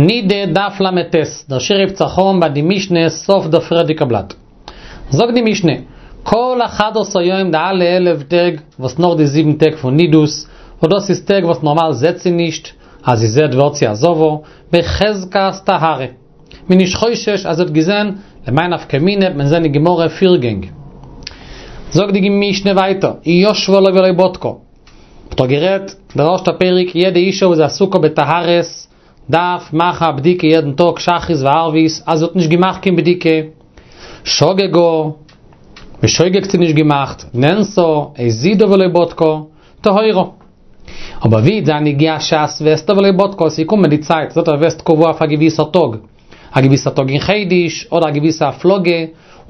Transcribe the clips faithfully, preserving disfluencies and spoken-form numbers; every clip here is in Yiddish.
נידה דף ל"ט, דער שיעור הייבט זיך אן ביי די משנה סוף דער פריערדיגע בלאט. זאגט די משנה, כל אחד עשר יום די אלע עלף טעג וואס נאך די זיבן טעג פון נידות, וואס דאס איז טעג וואס נארמאל זעט זי נישט, אז זי זעט ווערט זי א זבה, בחזקת טהרה. מען נישט חושש אז זי האט געזען, למאי נפקא מינה וועט מען זען אין גמרא פיר גענג. זאגט די משנה ווייטער, ישבה עליו ולא בדקה. מ'האט דאך גערעדט דער ערשטער פרק יעדע אישה וואס איז עסוקה בטהרות דארף מאכן א בדיקה יעדן טאג שחרית וערבית אז זי האט נישט געמאכט קיין בדיקה שגגה בשוגג האט זי נישט געמאכט נאנסה הזידה ולא בדקה טהורה אבער ווי זיין הגיעה שעת וסתה ולא בדקה עס איז געקומען די צייט זי האט א וסת קבוע אויף א געוויסער טאג א געוויסער טאג אין חודש אדער א געוויסע הפלגה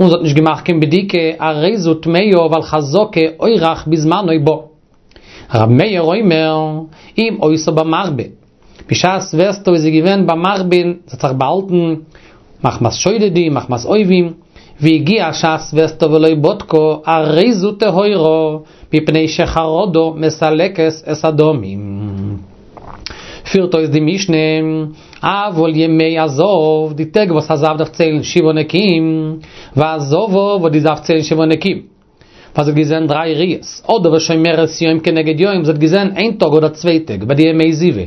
און זי האט נישט געמאכט קיין בדיקה הרי זו טמאה ווייל חזקה אורח בזמנו בא. ר' מאיר אומר, אם היתה במחבא, בשעת וסתה איז זי געווען במחבא, זי האט זיך באהאלטן מחמת שודדים, מחמת אויבים, והגיעה שעת וסתה ולא בדקה, הרי זו טהורה, מפני שחרדה מסלקת את הדמים. פירט אויס די משנה, אבל ימי הזב, די טעג וואס א זב דארף ציילן שבעה נקיים, והזבה וואס די דארף ציילן שבעה נקיים. ווייל זי האט געזען דריי ראיות, אדער ושומרת יום כנגד יום, זי האט געזען איין טאג אדער צוויי טעג ביי די ימי זיבה,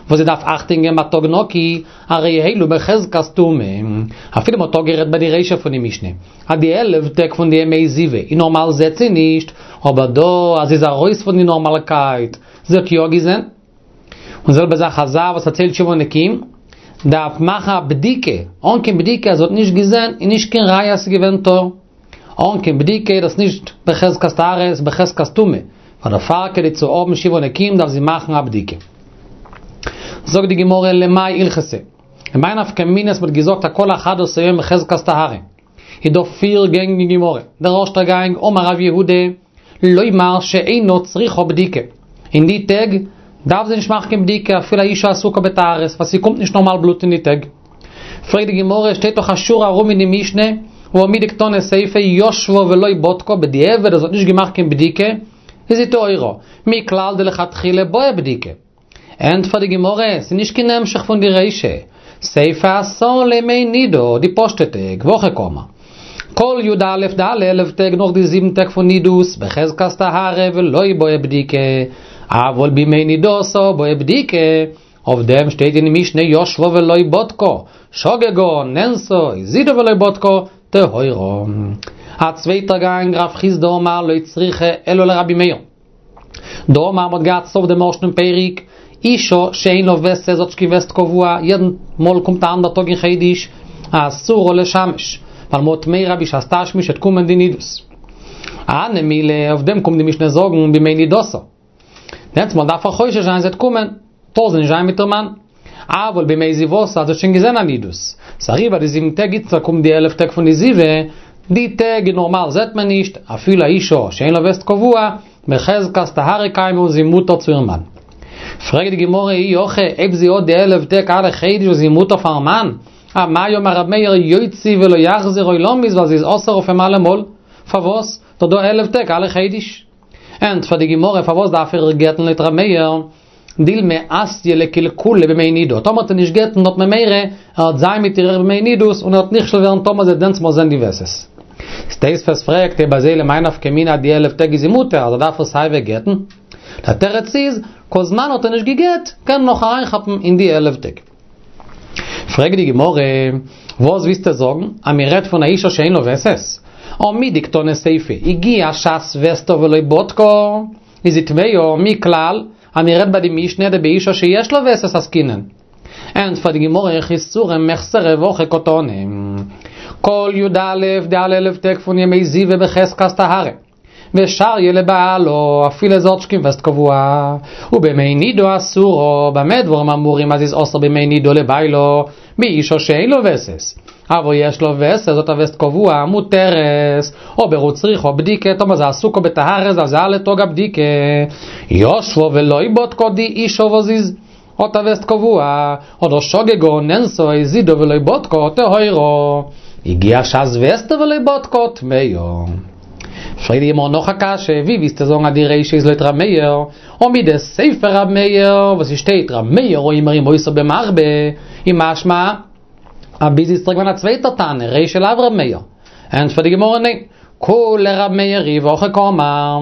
וואס זי דארף אכטונג געבן ביי טאג נקי, הרי אלו בחזקת טומאה. אפילו מ'האט אפגערעדט ביי די רישא פון די משנה, אז די עלף טעג פון די ימי זיבה, איז נארמאל זעט זי נישט, אבער דא אז זי איז ארויס פון די נארמאלקייט, זי האט יא געזען. און זעלבע זאך א זב וואס ער ציילט שבעה נקיים, דארף מאכן א בדיקה, אן קיין בדיקה אז זי האט נישט געזען איז נישט קיין ראיה אז ס'איז געווען טהור. אן קיין בדיקה איז דאס נישט בחזקת טהרה, ס'איז בחזקת טומאה, ווייל דערפאר כדי צו האבן שבעה נקיים דארף זי מאכן א בדיקה. זאגט די גמרא למאי הלכתא, למאי נפקא מינה אז מ'האט געזאגט אז כל אחד עשר יום בחזקת טהרה, איז דא פיר גענג אין גמרא, דער ערשטער גאנג אמר רב יהודה, לומר שאינה צריכה בדיקה, אין די טעג דארף זי נישט מאכן קיין בדיקה אפילו א אישה עסוקה בטהרות ווייל ס'קומט נישט נארמאל בלוט אין די טעג. פרעגט די גמרא, שטייט דאך א שורה ארום אין די משנה, והא מדקתני סיפא ישבה ולא בדקה, בדיעבד אז זי האט נישט געמאכט קיין בדיקה, איז זי טהורה, מכלל דלכתחילה בעיא בדיקה. ענטפערט די גמרא, ס'איז נישט קיין המשך פון די רישא, סיפא אתאן לימי נידה, די פשוטע טעג, והכי קאמר. כל י"א די אלע עלף טעג נאך די זיבן טעג פון נידות, בחזקת טהרה ולא בעיא בדיקה, אבל בימי נידתה בעיא בדיקה, אויף דעם שטייט אין די משנה ישבה ולא בדקה, שגגה, נאנסה, הזידה ולא בדקה, טהורה. א צווייטער גאנג, רב חסדא אמר לא צריכא אלא לרבי מאיר. דאמר מ'האט געהאט סוף דעם ערשטן פרק, אישה שאין לה וסת זי האט נישט קיין וסת קבוע, יעדן מאל קומט א אנדער טאג אין חודש, אסורה לשמש, ווייל מ'האט מורא בשעת תשמיש וועט קומען די נידות. הני מילי, אויף דעם קומט די משנה זאגן בימי נידתה. דענסטמאל דארף ער חושש זיין ס'וועט קומען, טאר זי נישט זיין מיט איר מאן. אבל בימי זיבתה אז זי האט שוין געזען א נידות. ס'אריבער די זיבן טעג איצטער קומט די עלף טעג פון די זיבה, די טעג נארמאל זעט מען נישט, אפילו א אישה שאין לה וסת קבוע, בחזקת טהרה קיימא און זי מותר צו איר מאן. פרעגט די גמרא אי הכי אויב זי האט די עלף טעג אלע חודש וואס זי מותר פארן מאן, אמאי אמר ר' מאיר יוציא ולא יחזיר עולמית ווייל זי איז אסור אויף אים אלעמאל, פארוואס? דאך דא עלף טעג אלע חודש. ענטפערט די גמרא פארוואס דארף ער איר גט'ן לויט ר' מאיר? דילמא אתיא לקלקולא בימי נידה, טאמער וועט ער נישט גט'ן האט מען מורא ער וועט זיין מיט איר בימי נידות און ער וועט נכשל ווערן טאמער זי וועט דענסטמאל זען די וסת. איז תוספות פרעגט אויב אזוי למאי נפקא מינה די עלף טעג איז זי מותר אז ער דארף איר סייווי גט'ן? דער תירוץ איז, כל זמן האט ער נישט געגט קען ער נאך אריינכאפן אין די עלף טעג. פרעגט די גמרא, וואס ווילסטו זאגן אז מען רעדט פון א אישה שאין לה וסת? הא מדקתני סיפא, הגיעה שעת וסתה ולא בדקה, איז זי טמאה, מכלל אז מען רעדט ביי די משנה דבאישה שיש לה וסת עסקינן. ענטפערט די גמרא חסורי מחסרא והכי קתני. כל י"א די אלע עלף טעג פון ימי זיבה בחזקת טהרה. ושריא לבעלה, אפילו זי האט נישט קיין וסת קבוע. ובימי נידה אסורה, במה דברים אמורים אז איז אסור בימי נידה לבעלה, באישה שאין לה וסת. אבל יש לה וסת, זי האט א וסת קבוע, מותרת, אבער וצריכה בדיקה, טאמער זי עסוקה בטהרה דארף זי אלע טאג א בדיקה. ישבה ולא בדקה די אישה וואס איז האט א וסת קבוע, אדער שגגה נאנסה הזידה ולא בדקה טהורה. הגיעה שעת וסתה ולא בדקה טמאה. פרעגט די גמרא נאך א קשיא, ווי ווילסטו זאגן אז די רישא איז לויט ר' מאיר, און מדסיפא ר' מאיר, וואס עס שטייט ר' מאיר אומר אם היתה במחבא, איז משמע אז ביז איצט איז געווען א צווייטער תנא, רישא לאו ר' מאיר. ענטפערט די גמרא ניין, כולה ר' מאיר היא והכי קאמר,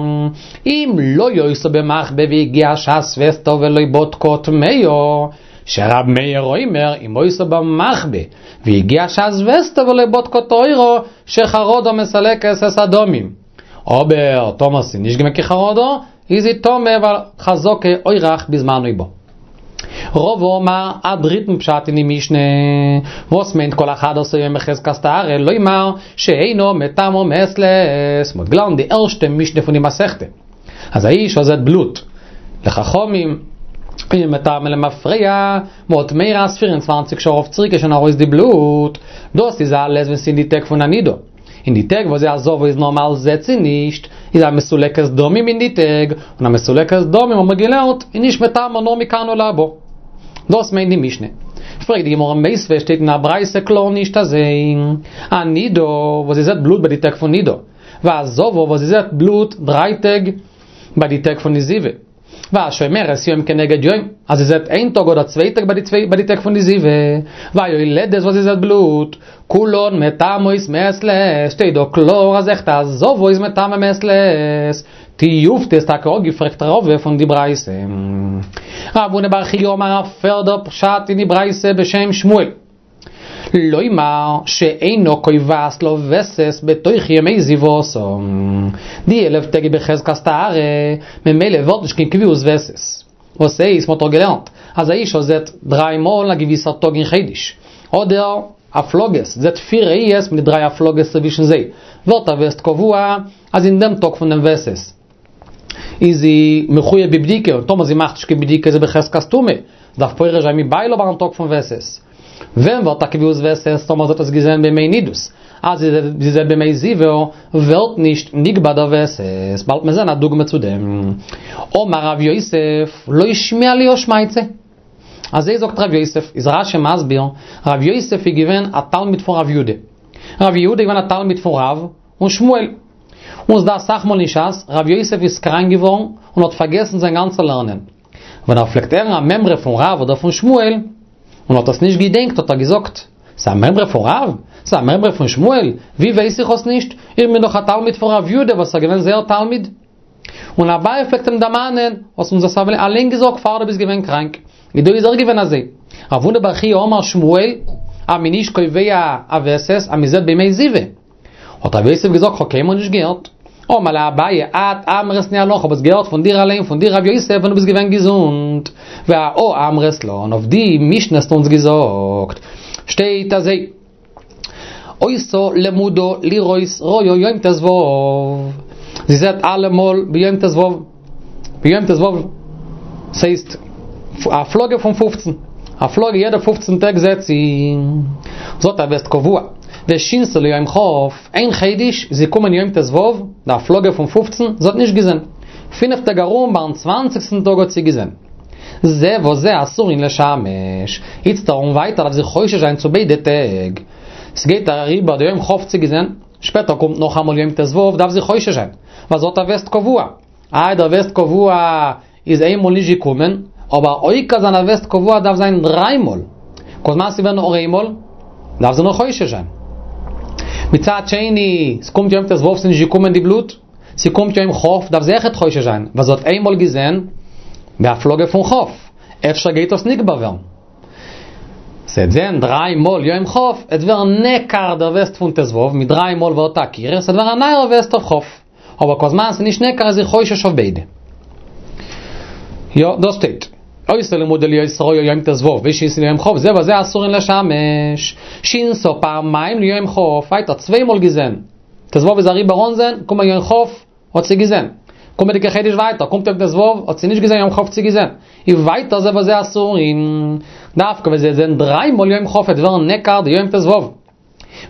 אם לא היתה במחבא והגיעה שעת וסתה ולא בדקה טמאה, שר' מאיר אומר אם היתה במחבא והגיעה שעת וסתה ולא בדקה טהורה שחרדה מסלקת את הדמים. אבער טאמער ס'איז נישט געווען קיין חרדה, איז זי טמא ווייל חזקה אורח בזמנו בא. רבא אמר א דריטן פשט אין די משנה, וואס מיינט כל אחד עשר יום בחזקת טהרה, לומר שאינה מטמאה מעת לעת, מ'האט געלערנט די ערשטע משנה פון די מסכתא, אז א אישה זעט בלוט, לחכמים אינה מטמאה למפרע, מ'האט מורא אז פֿיר און צוואַנציק שעה אויף צוריק איז שוין ארויס די בלוט, דאס איז אלעס ווען ס'איז אין די טעג פון א נידה. אין די טעג וואס זי א זבה איז נארמאל זעט זי נישט, איז א מסולקת דמים אין די טעג, און א מסולקת דמים האבן מיר געלערנט איז נישט מטמא נאר מכאן ולהבא. דאס מיינט די משנה. פרעגט די גמרא מיתיבי שטייט אין א ברייתא קלאר נישט אזוי. א נידה וואס זי זעט בלוט ביי די טעג פון נידה, והזבה וואס זי זעט בלוט דריי טעג ביי די טעג פון די זיבה. והשומרת יום כנגד יום, אז זי זעט איין טאג אדער צוויי טעג ביי די טעג פון די זיבה, והיולדת וואס זי זעט בלוט, כולן מטמאות מעת לעת, שטייט דא קלאר אז אויכעט א זבה איז מטמא מעת לעת, תיובתא איז טאקע אפגעפרעגט רבא פון די ברייתא. רב הונא בר חייא אמר א פערדע פשט אין די ברייתא בשם שמואל. לומר שאינה קובעת לה וסת בתוך ימי זיבתה. די עלף טעג איז בחזקת טהרה, ממילא ווערט נישט קיין קביעות וסת. וואס הייסט, מ'האט דאך געלערנט אז א אישה זעט דריי מאל א געוויסער טאג אין חודש, אדער הפלגות, זעט פיר ראיות מיט דריי הפלגות צווישן זיי, ווערט א וסת קבוע אז אין דעם טאג פון דעם וסת איז זי מחויב בבדיקה, און טאמער זי מאכט נישט קיין בדיקה איז זי בחזקת טומאה, דארף פורש זיין מבעלה ביים טאג פון וסת. ווען ווערט א קביעות וסת טאמער זי האט עס געזען בימי נידות? אז זי זעט בימי זיבה ווערט נישט נקבע דער וסת, באלד מיר זען א דוגמא צו דעם. אמר רב יוסף, לא שמיע לי הא שמעתתא. אזוי זאגט רב יוסף, איז רשי מסביר, רב יוסף איז געווען א תלמיד פון רב יהודה. רב יהודה איז געווען א תלמיד פון רב און שמואל. און ס'דא אסאך מאל אין שס, רב יוסף איז קראנק געווארן און האט פארגעסן זיין גאנצע לערנען. ווען ער פלעגט הערן א מימרא פון רב אדער פון שמואל, און האט עס נישט געדענקט האט ער געזאגט, ס'איז א מימרא פון רב? ס'איז א מימרא פון שמואל? ווי ווייס איך עס נישט? איך בין דאך א תלמיד פון רב יהודה וואס איז געווען זייער תלמיד. און אביי פלעגט אים דערמאנען, האסט אונז עס אליין געזאגט פאר דו ביסט געווען קראנק. איז דא איז אויך געווען אזוי. רב הונא בר חייא אמר שמואל, אז מ'איז נישט קובע א וסת אז מ'זעט בימי זיבה. האט רב יוסף געזאגט כ'האב קיינמאל נישט געהערט. אמר ליה אביי את אמרת ניהלה כ'האב עס געהערט פון דיר אליין פון דיר רב יוסף ווען דו ביסט געווען געזונט. ואהא אמרת לן אויף די משנה האסטו אונז געזאגט שטייט אזוי היתה למודה לראות ראיה יום ט"ו זי זעט אלעמאל ביום ט"ו ביום ט"ו ס'הייסט א הפלגה פון פופצן, הפלגה יעדע פופצן טעג זעט זי, זי האט א וסת קבוע, ושינתה ליום כ', איין חודש איז געקומען יום ט"ו, די הפלגה פון פופצן, זי האט נישט געזען, פינף טעג ארום ביים צוואנציגסטן טאג האט זי געזען. זה וזה אסורין לשמש, איצטער און ווייטער דארף זי חושש זיין צו ביידע טעג. ס'גייט אריבער די יום כ' האט זי געזען, שפעטער קומט נאכאמאל יום ט"ו דארף זי חושש זיין, ווייל זי האט א וסת קבוע. איי דער וסת קבוע איז איינמאל נישט געקומען, אבער עוקר זיין א וסת קבוע דארף זיין דריי מאל, כל זמן ס'ווערט נאר איינמאל, דארף זי נאך חושש זיין. מצד שני, ס'קומט יום ט"ו ס'איז נישט געקומען די בלוט, ס'קומט יום כ' דארף זי אויכעט חושש זיין, ווייל זי האט איינמאל געזען בהפלגה פון כ', אפשר גייט עס נקבע ווערן. זי וועט זען דריי מאל יום כ', עט ווערן נעקר דער וסת פון ט"ו, מיט דריי מאל ווערט א עקירה, ס'וועט ווערן א נייער וסת אויף כ'. אבער כל זמן ס'איז נישט נעקר איז זי חושש אויף ביידע. יא, דאס שטייט. היתה למודה לראות ראיה יום ט"ו ושינתה ליום כ' זה וזה אסורין לשמש. שינתה פעמיים ליום כ', ווייטער צוויי מאל געזען. ט"ו איז אריבער אן זען, קומען יום כ', האט זי געזען. קומענדיגע חודש ווייטער, קומט יום ט"ו, האט זי נישט געזען יום כ' האט זי געזען. איז ווייטער זה וזה אסורין. דווקא ווען זי וועט זען דריי מאל יום כ' וועט ווערן נעקר די יום ט"ו.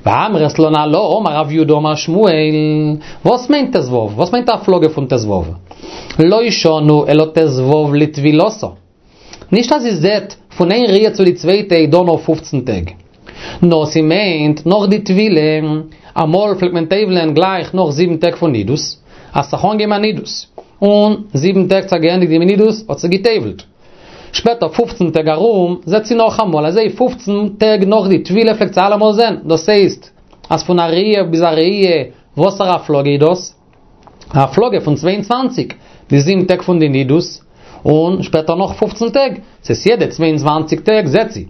ואמרת לן עלה אמר רב יהודה אמר שמואל, וואס מיינט ט"ו? וואס מיינט א הפלגה פון ט"ו? לא שנו אלא ט"ו לטבילתה. נישט אז זי זעט פון איין ראיה צו די צווייטע איז דא נאר פופצן טעג. נאר ס'מיינט נאך די טבילה, אמאל פלעגט מען טובל'ען גלייך נאך זיבן טעג פון נידות, אז ס'האט זיך אנגעהויבן א נידות, און זיבן טעג זיך געענדיגט די נידות האט זי געטובל'ט. שפעטער פופצן טעג ארום זעט זי נאכאמאל, אזוי פופצן טעג נאך די טבילה פלעגט זי אלעמאל זען, דאס הייסט אז פון א ראי' ביז א ראי' וואסערע הפלגה איז דאס? א הפלגה פון צוויי און צוואַנציק, די זיבן טעג פון די נידות, און שפעטער נאך פופצן טעג, ס'איז יעדע צוויי און צוואַנציק טעג זעט זי.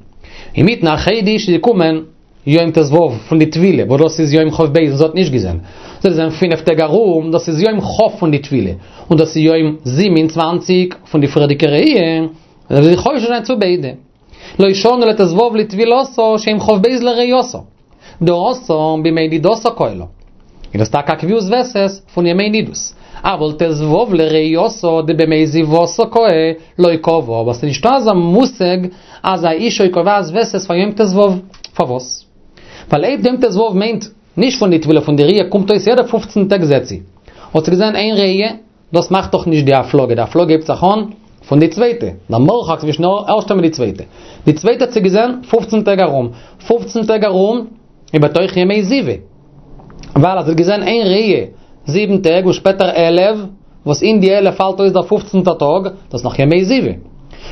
אינמיטן א חודש איז געקומען יום ט"ו פון די טבילה, וואס דאס איז יום כ"ב און זי האט נישט געזען. זי האט געזען פינף טעג ארום, דאס איז יום כ' פון די טבילה, און דאס איז יום זיבן און צוואַנציק פון די פריערדיגע ראי', זאל זי חושש זיין צו ביידע. לא שנו אלא ט"ו לטבילתה שיום כ"ב לראייתה. דהתם בימי נידתה קאי לה. איז דאס טאקע א קביעות וסת פון ימי נידות. אבל ט"ו לראייתה דבימי זיבתה קאי לא קבעה, אבער ס'איז נישטא אזא מושג אז א אישה איז קובע וסת פאר יום ט"ו. פארוואס? ווייל אויב יום ט"ו מיינט נישט פון די טבילה פון די ראי' קומט אויס יעדע פופצן טעג זעט זי. האט זי געזען איין ראי', דאס מאכט דאך נישט די הפלגה, די הפלגה הייבט זיך אן פון די צווייטע, דער מרחק צווישן די ערשטע מיט די צווייטע. די צווייטע האט זי געזען פופצן טעג ארום, פופצן טעג ארום איז בתוך ימי זיבה, ווייל אז זי האט געזען איין ראי' זיבן טעג און שפעטער עלף, וואס אין די עלף פאלט אויס דער פופצנטער טאג, דאס איז נאך ימי זיבה.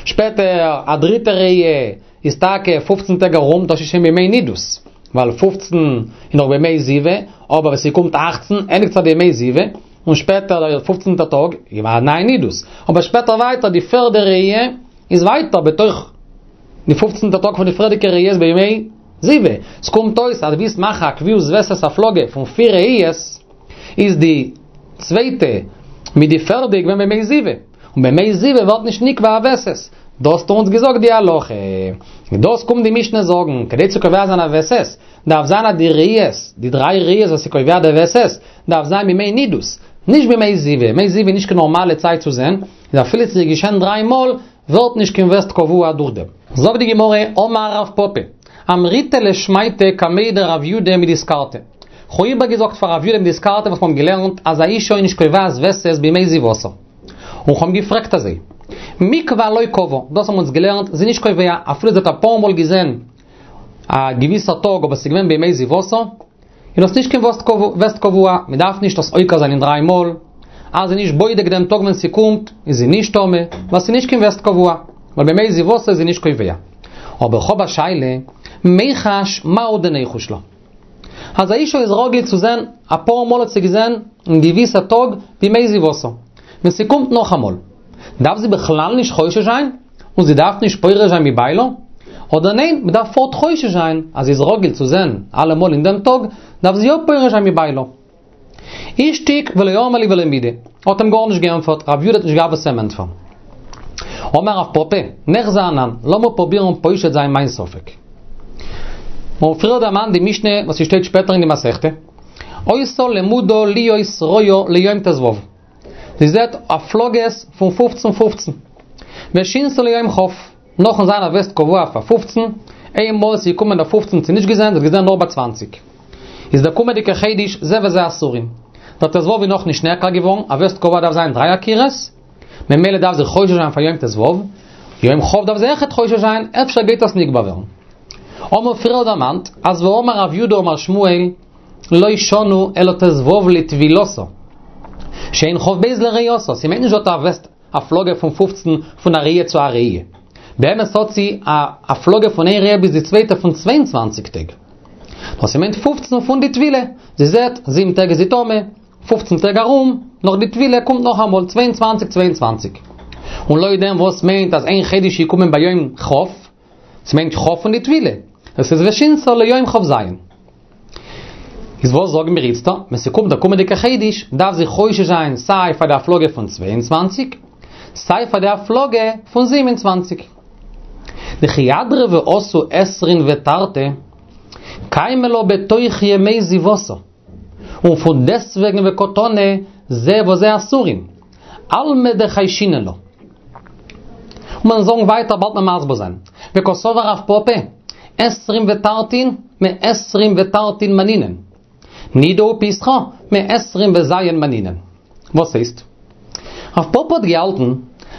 שפעטער א דריטע ראי' איז טאקע פופצן טעג ארום, דאס איז שוין בימי נידות, ווייל פופצן איז נאך בימי זיבה, אבער ווען ס'קומט אכצן ענדיגט זיך די ימי זיבה, און שפעטער דער פופצנטער טאג איז א נייע נידות, אבער שפעטער ווייטער די פערדע ראי' איז ווייטער בתוך די פופצנטע טאג פון די פריערדיגע ראי' איז בימי זיבה, ס'קומט אויס אז דו ווילסט מאכן א קביעות וסת הפלגה פון פיר ראיות, איז די צווייטע מיט די פערדע געווען בימי זיבה, און בימי זיבה ווערט נישט נקבע א וסת, דאס האט אונז געזאגט די הלכה, און דאס קומט די משנה זאגן, כדי צו קובע זיין א וסת, דארף זיין אז די ראיות, די דריי ראיות וואס איז קובע די וסת, דארף זיין בימי נידות, נישט בימי זיבה, ימי זיבה איז נישט קיין נארמאלע צייט צו זען, איז אפילו ס'איז געשען דריי מאל, ווערט נישט קיין וסת קבוע דורך דעם. זאגט די גמרא, אמר רב פפא, אמריתה לשמעתא קמיה דרב יודא מדיסקרתא. כ'האב איבערגעזאגט פאר רב יודא מדיסקרתא וואס מ'האבן געלערנט אז א אישה איז נישט קובעת וסת בימי זיבתה. און כ'האב געפרעגט אזוי, מיקבע לא קבעה, דאס האבן אונז געלערנט, זי איז נישט קובע, אפילו זי האט אפאר מאל געזען א געוויסע טאג אבער ס'איז געווען בימי זיבתה, איז דאס נישט קיין וסת קבוע, מ'דארף נישט דאס עוקר זיין אין דריי מאל, אז זי איז נישט בודק דעם טאג ווען ס'קומט, איז זי נישט טמא, ווייל ס'איז נישט קיין וסת קבוע, ווייל בימי זיבתה איז זי נישט קובע. אבער כ'האב א שאלה, מיחש מהו דניחוש לה? אז א אישה איז רגיל צו זען, אפאר מאל האט זי געזען אין געוויסע טאג בימי זיבתה, ווען ס'קומט נאכאמאל, דארף זי בכלל נישט חושש זיין? און זי דארף נישט פורש זיין מבעלה? אדער ניין, מ'דארף פארט חושש זיין, אז זי איז רגיל צו זען אלעמאל אין דעם טאג, דארף זי יא פורש זיין מבעלה. אישתיק ולא אמר ליה ולא מידי, האט אים גארנישט געענטפערט, רב יודא האט נישט געהאט וואס אים ענטפערן. אמר רב פפא, ניחזי אנן, לאמיר פרובירן פושט זיין מיין ספק. מיר האבן פריער דערמאנט די משנה וואס ס'שטייט שפעטער אין די מסכתא, היתה למודה להיות רואה ליום ט"ו. זי זעט הפלגות פון פופצן פופצן. ושינתה ליום כ', נאכן זיין א וסת קבוע פאר פופצן, איין מאל ס'איז געקומען דער פופצן האט זי נישט געזען, זי האט געזען נאר ביי צוואנציג. איז דער קומענדיגער חודש זה וזה אסורין. דער ט"ו איז נאכנישט נעקר געווארן, א וסת קבוע דארף זיין דריי עקירות, ממילא דארף זי חושש זיין פאר יום ט"ו, יום כ' דארף זי אויכעט חושש זיין, אפשר גייט עס נקבע ווערן. האבן מיר פריער דערמאנט אז ואמר רב יודא אמר שמואל לא שנו אלא ט"ו לטבילתה, שאין כ"ב לראייתה, ס'מיינט נישט זי האט א וסת הפלגה פון פופצן פון א ראי' צו א ראי'. באמת האט זי א הפלגה פון איין ראי' ביז די צווייטע פון צוויי און צוואַנציק טעג. נאר ס'מיינט פופצן פון די טבילה, זי זעט זיבן טעג איז זי טמא, פופצן טעג ארום, נאך די טבילה קומט נאכאמאל צוויי און צוואַנציק צוויי און צוואַנציק. און לויט דעם וואס מיינט אז איין חודש איז געקומען ביום כ', ס'מיינט כ' פון די טבילה, דאס איז ושינתה ליום כ"ז. איז וואס זאגן מיר איצטער, ווען ס'קומט דער קומענדיגער חודש, דארף זי חושש זיין סיי פאר די הפלגה פון צוויי און צוואַנציק, סיי פאר די הפלגה פון זיבן און צוואַנציק. דכי אדרא ואתו עשרין ותרתי, קיימא לה בתוך ימי זיבתה. און פון דעסטוועגן וקתני זה וזה אסורין. אלמא דחיישינן לה. און מיר זאגן ווייטער באלד מען מסביר זיין. וקסבר רב פפא, עשרים ותרתין מעשרים ותרתין מנינן. נידה ופסחא מעשרים וז' מנינן. וואס הייסט? רב פפא האט געהאלטן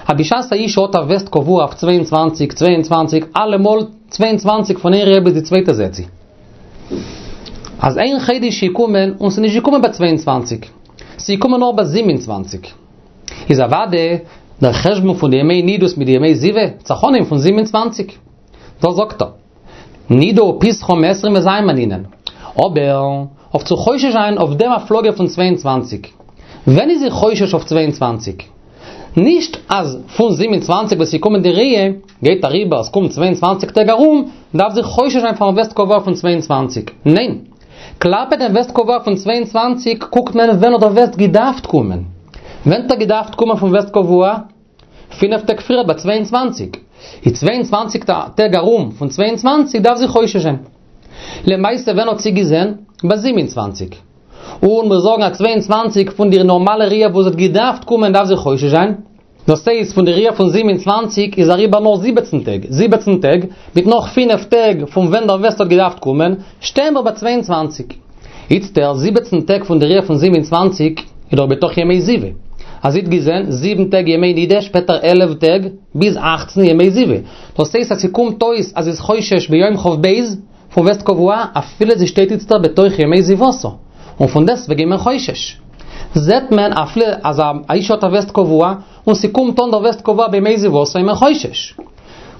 אז בשעת א אשה האט א וסת קבוע אויף צוויי און צוואַנציק, צוויי און צוואַנציק, אלעמאל צוויי און צוואַנציק פון איין ראיה ביז די צווייטע זעט זי. אז איין חודש איז געקומען און ס'איז נישט געקומען ביי צוויי און צוואַנציק, ס'איז געקומען נאר ביי זיבן און צוואַנציק. איז אוודאי דער חשבון פון די ימי נידות מיט די ימי זיבה, זיך אנהייבן פון זיבן און צוואַנציק. דאס זאגט ער. נידה ופסחה מעשרים וז' מנינן. אבער, אויף צו חושש זיין אויף דעם הפלגה פון צוויי און צוואַנציק. ווען איז זי חושש אויף צוויי און צוואַנציק? נישט אז פון זיבן און צוואַנציק וואס איז געקומען די ראיה, גייט אריבער, עס קומט צוויי און צוואַנציק טעג ארום, דארף זי חושש זיין פארן וסת קבוע פון צוויי און צוואַנציק. ניין. כלפי דעם וסת קבוע פון צוויי און צוואַנציק קוקט מען ווען האט דער וסת געדארפט קומען. ווען האט ער געדארפט קומען פון וסת קבוע? פינף טעג פריער ביי צוויי און צוואַנציק. איז צוויי און צוואַנציק טעג ארום פון צוויי און צוואַנציק דארף זי חושש זיין. למעשה ווען האט זי געזען? ביי זיבן און צוואַנציק. און מיר זאגן אז צוויי און צוואַנציק פון די נארמאלע ראיה וואס האט געדארפט קומען דארף זי חושש זיין. דאס הייסט פון די ראיה פון זיבן און צוואַנציק איז אריבער נאר זיבעצן טעג, זיבעצן טעג, מיט נאך פינף טעג פון ווען דער וסת האט געדארפט קומען, שטייען מיר ביי צוויי און צוואַנציק. איצטער, זיבעצן טעג פון די ראיה פון זיבן און צוואַנציק איז דאך בתוך ימי זיבה. אז זי האט געזען זיבן טעג ימי נידה, שפעטער עלף טעג, ביז אַכצן ימי זיבה. דאס הייסט אז ס'קומט אויס אז זי איז חושש ביום כ"ב פון וסת קבוע, אפילו זי שטייט איצטער בתוך ימי זיבתה. און פון דעסטוועגן איז מען חושש. זעט מען אפילו אז א אשה האט א וסת קבוע, און ס'קומט אן דער וסת קבוע בימי זיבתה איז מען חושש.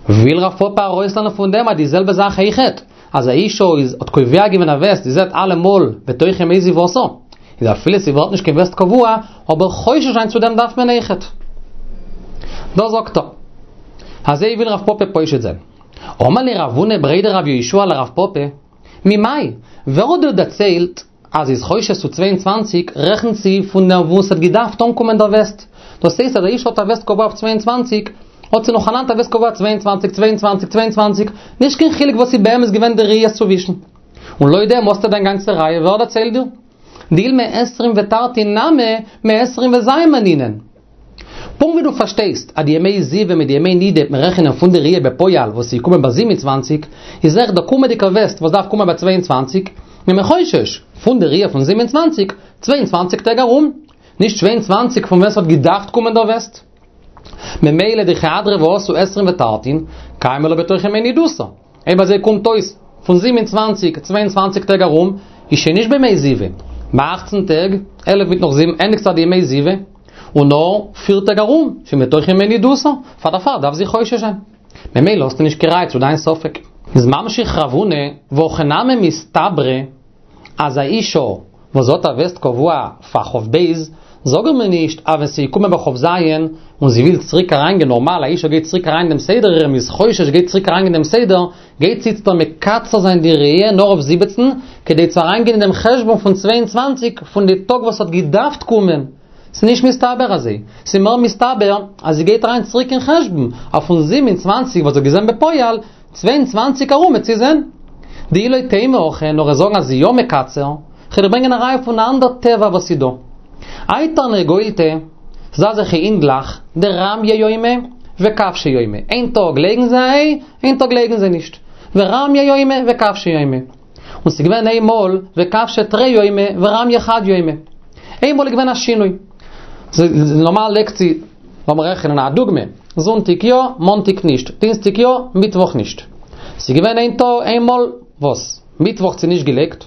וויל רב פפא ארויסלערנען פון דעם אז די זעלבע זאך אויכעט, אז א אשה איז האט קובע געווען א וסת, זי זעט אלעמאל בתוך ימי זיבתה, איז אפילו ס'ווערט נישט קיין וסת קבוע, אבער חושש זיין צו דעם דארף מען אויכעט. דאס זאגט ער. אזוי וויל רב פפא פושט זיין. אמר ליה רב הונא בריה דרב יהושע לרב פפא, ממאי, ווער האט דיר דערציילט אז זי איז חושש צו צוויי און צוואַנציק, רעכנט זי פון דעם וואס האט געדארפט אנקומען דער וסת. דאס הייסט אז א אשה האט א וסת קבוע אויף צוויי און צוואַנציק, האט זי נאכאנאנד א וסת קבוע צוויי און צוואַנציק, צוויי און צוואַנציק, צוויי און צוואַנציק, נישט קיין חילוק וואס איז באמת געווען די ראיות צווישן. און לויט דעם האסטו דיין גאנצע ראיה, ווער דערציילט דיר? דאי מעשרים ותרתין נמי, מעשרים וז' מנינן. פונקט ווי דו פארשטייסט אז די ימי זיבה מיט די ימי נידה וועט מען רעכענען פון די ראיה בפועל וואס איז געקומען ביי זיבן און צוואַנציק, איז אויך דער קומעדיגער וסת וואס דארף קומען ביי צוויי און צוואַנציק, איז מען חושש פון די ראיה פון זיבן און צוואַנציק, צוויי און צוואַנציק טעג ארום, נישט צוויי און צוואַנציק פון ווען ס'האט געדארפט קומען דער וסת. ממילא דכי אדרבה אתו עשרים ותרתין, קיימא לה בתוך ימי נידותה. אויב אזוי קומט אויס, פון זיבן און צוואַנציק, צוויי און צוואַנציק טעג ארום, איז שוין נישט בימי זיבה. ביי אַכצן טעג, עלף מיט נאך זיבן, ענדיגט זיך די ימי זיבה, און נאר פיר טעג ארום, שוין בתוך ימי נידותה, פאר דערפאר דארף זי חושש זיין. ממילא האסטו נישט קיין ראיה צו דיין ספק. איז ממשיך רב הונא, והכי נמי מסתברא, אז א אישה וואס האט א וסת קבוע פאר כ"ב, זאגן מיר נישט אז ווען ס'איז געקומען ביי כ"ז און זי וויל צוריק אריינגיין נארמאל, א אישה גייט צוריק אריין אין דעם סדר אירע, מ'איז חושש גייט צוריק אריינגיין אין דעם סדר, גייט זי איצטער מקצר זיין די ראי' נאר אויף זיבעצן, כדי צו אריינגיין אין דעם חשבון פון צוויי און צוואַנציק פון די טאג וואס האט געדארפט קומען. ס'איז נישט מסתבר אזוי. ס'איז מער מסתבר אז זי גייט אריין צוריק אין חשבון, אז פון זיבן און צוואַנציק וואס זי האט געזען בפועל, צוויי און צוואַנציק ארום וועט זי זען. דאי לא תימא הכי, נאר זאגן אז זי יא מקצר, כ'וועל דיר ברענגען א ראיה פון א אנדער טבע וואס איז דא. האי תרנגולתא, ס'דא אזעלכע הינדלעך, דרמיא יומא וכבשי יומא, איין טאג לייגן זיי א איי, איין טאג לייגן זיי נישט. ורמיא יומא וכבשי יומא. און ס'איז געווען איין מאל וכבשי תרי יומי ורמיא חד יומא. איין מאל איז געווען א שינוי. נארמאל לייגט זי, לאמיר רעכענען א דוגמא, זונטאג יא, מאנטאג נישט, דינסטאג יא, מיטוואך נישט. ס'איז געווען איין טאג, איין מאל, וואס? מיטוואך האט זי נישט געלייגט,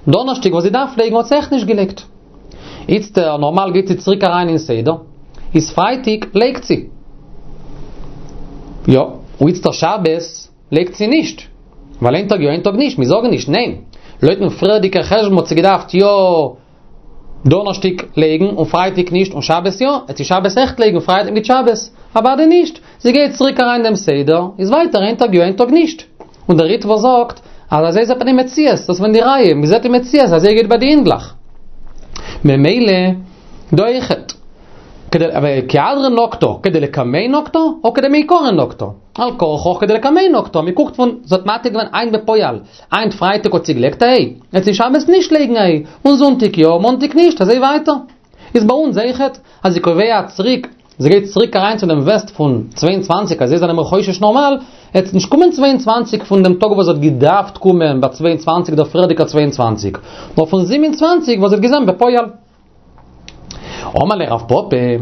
דאנערשטאג וואס זי דארף לייגן האט זי אויך נישט געלייגט. איצטער, נארמאל גייט זי צוריק אריין אין סדר, איז פרייטאג לייגט זי. יא, און איצטער שבת לייגט זי נישט. ווייל איין טאג יא איין טאג נישט, מיר זאגן נישט, ניין. לויטן פריערדיגע חשבון האט זי געדארפט יא דאנערשטאג לייגן און פרייטאג נישט און שבת יא, וועט זי שבת אויכעט לייגן פרייטאג מיט שבת, אוודאי נישט, זי גייט צוריק אריין דעם סדר, איז ווייטער איין טאג יא איין טאג נישט. און דער ריטב"א זאגט אז אזוי זעט מען אין מציאות, דאס איז ווען די ראיה, מען זעט אין מציאות אזוי גייט ביי די הינדלעך. ממילא דא אויכעט. כי הדרא נקטה, כדלקמן נקטה, או כדמעיקרא נקטה. על כרחך כדלקמן נקטה, מען קוקט פון, זי האט מעתיק געווען היינט בפועל, היינט פרייטאג האט זי געלייגט א איי, וועט זי שבת נישט לייגן א איי, און זונטאג יא, מאנטאג נישט, אזוי ווייטער. איז ביי אונז אויכעט, אז זי קובע צוריק, זי גייט צוריק אריין צו דעם וסת פון צוויי און צוואַנציק, אזוי זענען מיר חושש נארמאל, וועט נישט קומען צוויי און צוואַנציק פון דעם טאג וואס זי האט געדארפט קומען ביי צוויי און צוואַנציק דער פריערדיגער צוויי און צוואַנציק, נאר פון זיבן און צוואַנציק וואס זי האט געזען בפועל. אמר ליה רב פפא,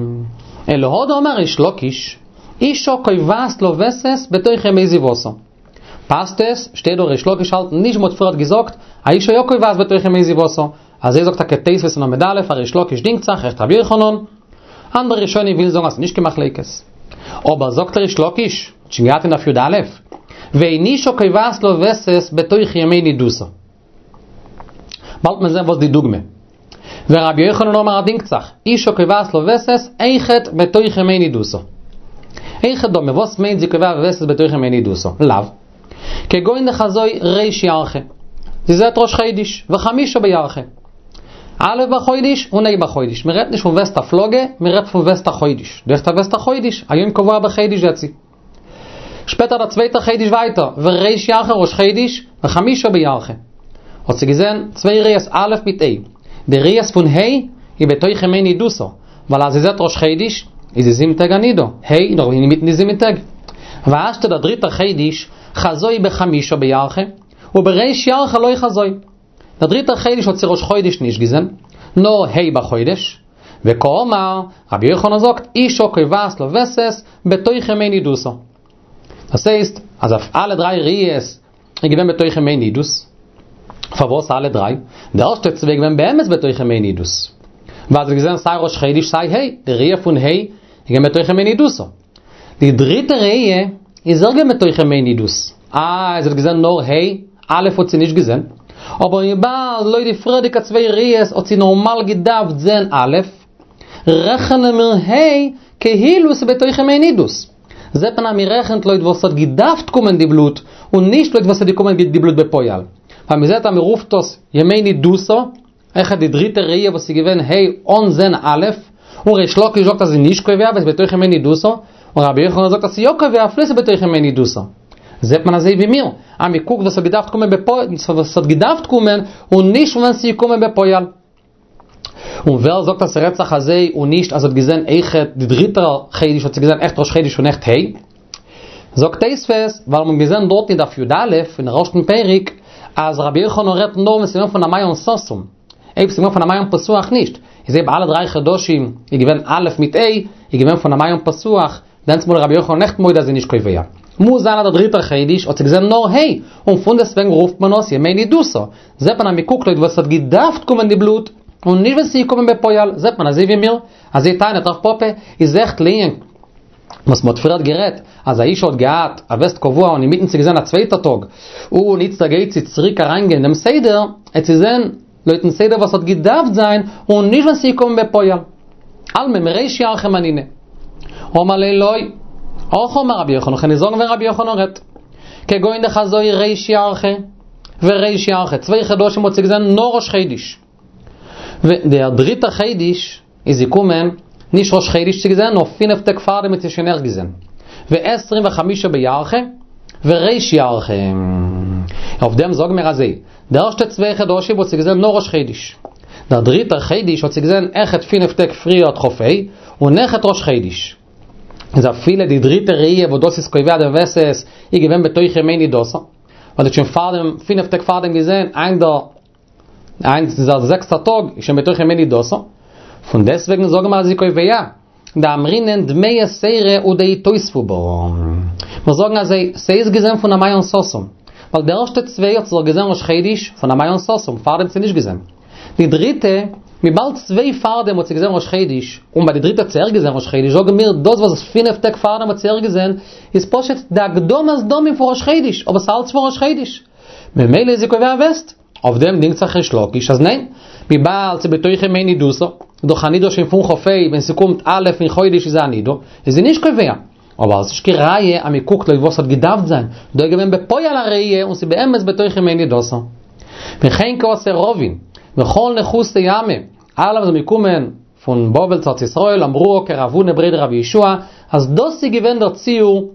אלא הא דאמר ריש לקיש, אשה קובעת לה וסת בתוך ימי זיבתה. פאסט עס, שטייט דא ריש לקיש האלט נישט מ'האט פריערט געזאגט, א אשה יא קובעת בתוך ימי זיבתה. אזוי זאגט טאקע תוספות אין עמוד א', אז ריש לקיש דינגט זיך, עכט רבי יוחנן. אנדערע ראשונים ווילן זאגן אז ס'איז נישט קיין מחלוקת. אבער זאגט ריש לקיש, האט שוין געהאט אין דף י"א, ואין אשה קובעת לה וסת בתוך ימי נידותה. באלד מען זען וואס די דוגמא. ורבי יוחנן אמר ער דינגט זיך, אשה קובעת לה וסת אויכעט בתוך ימי נידותה. היכי דמי, וואס מיינט זי קובע וסת בתוך ימי נידותה? לאו. כגון דחזאי ריש ירחא. זי זעט ראש חודש, וחמישה בירחא. א' בחודש און ה' בחודש. מען רעדט נישט פון וסת הפלגה, מען רעדט פון וסת החודש. דאך דער וסת החודש, א יום קבוע בחודש זעט זי. שפעטער דער צווייטער חודש ווייטער, וריש ירחא ראש חודש, וחמישה בירחא. האט זי געזען צוויי ראיות א' מיט ה'. די ראיות פון ה' איז בתוך ימי נידותה, ווייל אז זי זעט ראש חודש, איז זי זיבן טעג א נידה, ה' איז נאך אינמיטן די זיבן טעג. והשתא דער דריטער חודש, חזאי בחמישה בירחא, ובריש ירחא לא חזאי. דער דריטער חודש האט זי ראש חודש נישט געזען, נאר ה' בחודש. וקאמר, רבי יוחנן זאגט, אשה קובעת לה וסת בתוך ימי נידותה. דאס הייסט, אז אויף אלע דריי ראיות איז געווען בתוך ימי נידות. פארוואס אלע דריי? די ערשטע צוויי געווען באמת בתוך ימי נידות. ווייל זי האט געזען סיי ראש חודש סיי ה', די ראי' פון ה' איז געווען בתוך ימי נידותה. די דריטע ראי' איז אויך געווען בתוך ימי נידות. אה, זי האט געזען נאר ה', א' האט זי נישט געזען. אבער וויבאלד לויט די פריערדיגע צוויי ראיות האט זי נארמאל געדארפט זען א', רעכענען מיר ה' כאילו ס'איז בתוך ימי נידות. זעט מען אז מ'רעכנט לויט וואס ס'האט געדארפט קומען די בלוט, און נישט לויט וואס ס'האט געקומען די בלוט בפועל. ווייל מ'זעט אז מ'רופט דאס ימי נידותה, אויכעט די דריטע ראי' וואס איז געווען ה' אן זען א', און ריש לקיש זאגט אז ס'איז נישט קובע ווייל ס'איז בתוך ימי נידותה, און רבי יוחנן זאגט אז ס'איז יא קובע אפילו ס'איז בתוך ימי נידותה. זעט מען אזוי ווי מיר, אז מ'קוקט וואס האט געדארפט קומען בפועל, וואס האט געדארפט קומען, און נישט ווען ס'איז געקומען בפועל. און ווער זאגט אז ס'רעדט זיך אזוי און נישט אז זי האט געזען אויכעט די דריטע חודש האט זי געזען עכט ראש חודש און עכט ה'? זאגט תוספות, ווייל מ'האט געזען דארט אין דף י"א אין ערשטן פרק אז רבי יוחנן רעדט נאר ווען ס'איז געווען פון א מעיין סתום, אויב ס'איז געווען פון א מעיין פתוח נישט, איז אויב אלע דריי חדשים איז געווען א' מיט ה' איז געווען פון א מעיין פתוח, דענסטמאל איז רבי יוחנן עכט מודה אז זי איז נישט קובע. מוז זיין אז דער דריטער חודש האט זי געזען נאר ה', און פונדעסטוועגן רופט מען עס ימי נידותה. זעט מען אז מ'קוקט לויט וואס ס'האט געדארפט קומען די בלוט, און נישט ווען ס'איז געקומען בפועל, זעט מען אזוי ווי מיר, אזוי טענה'ט רב פפא, איז עכט לענין וואס מ'האט פריערט גערעדט, אז א אישה האט געהאט א וסת קבוע און אינמיטן זי געזען א צווייטע טאג, און איצטער גייט זי צוריק אריינגיין אין דעם סדר, עט זי זען לויטן סדר וואס האט געדארפט זיין, און נישט ווען ס'איז געקומען בפועל. אלמא מריש ירחא מנינא. אמר ליה לא. הכי אמר רבי יוחנן, כ'קען נישט זאגן ווען רבי יוחנן רעדט. כגון דחזאי ריש ירחא וריש ירחא, צוויי חדשים האט זי געזען נאר ראש חודש. דער דריטער חודש איז געקומען, נישט ראש חודש האט זי געזען, נאר פינף טעג פארדעם האט זי שוין ערשט געזען. ועשרים וחמישה בירחא, וריש ירחא. אויף דעם זאגן מיר אזוי, די ערשטע צוויי חדשים האט זי געזען נאר ראש חודש. דער דריטער חודש האט זי געזען אויכעט פינף טעג פריער כ"ה, און אויכעט ראש חודש. איז אפילו די דריטע ראי' וואס דאס איז קובע דעם וסת איז געווען בתוך ימי נידותה, ווייל זי האט שוין פארדעם, פינף טעג פארדעם געזען, היינט דער היינט איז דער זעקסטער טאג, איז שוין בתוך ימי נידותה. פון דעסטוועגן זאגן מיר אז זי קובע, דאמרינן דמי יתירא הוא דאיתותבו בה. מיר זאגן אז ס'איז געזען פון א מעיין סתום. ווייל די ערשטע צוויי האט זי דאך געזען ראש חודש פון א מעיין סתום, פארדעם האט זי נישט געזען. די דריטע, וויבאלד צוויי פארדעם האט זי געזען ראש חודש, און ביי די דריטע האט זי ערשט געזען ראש חודש, זאגן מיר דאס וואס פינף טעג פארדעם האט זי ערשט געזען, איז פשוט די הקדמת דמים פון ראש חודש, אבער ס'אלץ פון ראש חודש. ממילא איז זי קובע וסת. אויף דעם דינגט זיך ריש לקיש אז ניין, וויבאלד ס'איז בתוך ימי נידותה, דאך א נידה שוין פון כ"ה, ווען ס'קומט א' אין חודש איז זי א נידה, איז זי נישט קובע. אבער ס'איז נישט קיין ראיה אז מ'קוקט לויט וואס האט געדארפט זיין, דא איז געווען בפועל א ראיה און ס'איז באמת בתוך ימי נידותה. וכן קאתי רבין, וכל נחותי עמא, אלע וואס זענען געקומען פון בבל צו ארץ ישראל אמרוה כרב הונא בריה דרב יהושע, אז דאס איז געווען דער ציור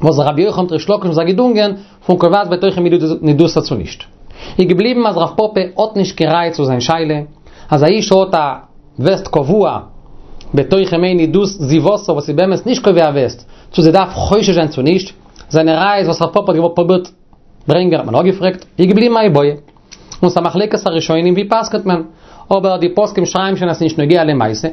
וואס רבי יוחנן מיט ריש לקיש האבן זיך געדונגען פון קובעת בתוך ימי נידותה צו נישט. איז געבליבן אז רב פפא האט נישט קיין ראיה צו זיין שאלה, אז א אישה האט א וסת קבוע בתוך ימי נידות זיבתה וואס איז באמת נישט קובע וסת, צו זי דארף חושש זיין צו נישט, זיינע ראיות וואס רב פפא האט געוואלט פרובירט ברענגען האט מען אפגעפרעגט, איז געבליבן א איבעיא. און ס'איז א מחלוקת הראשונים ווי פסק'נט מען, אבער די פוסקים שרייבן שוין אז ס'נישט נוגע למעשה.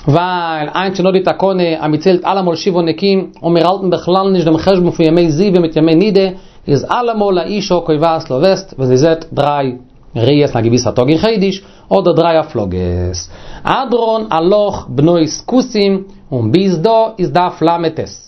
ווייל היינט שוין דא די תקנה אז מ'ציילט אלעמאל שבעה נקיים און מיר האלטן בכלל נישט דעם חשבון פון ימי זיבה מיט ימי נידה, איז אלעמאל א אישה קובעת לה וסת ווען זי זעט דריי ראיות אין א געוויסע טאג אין חודש, אדער דריי הפלגות. הדרן עלך בנות כותים, און ביז דא איז דף ל"ט.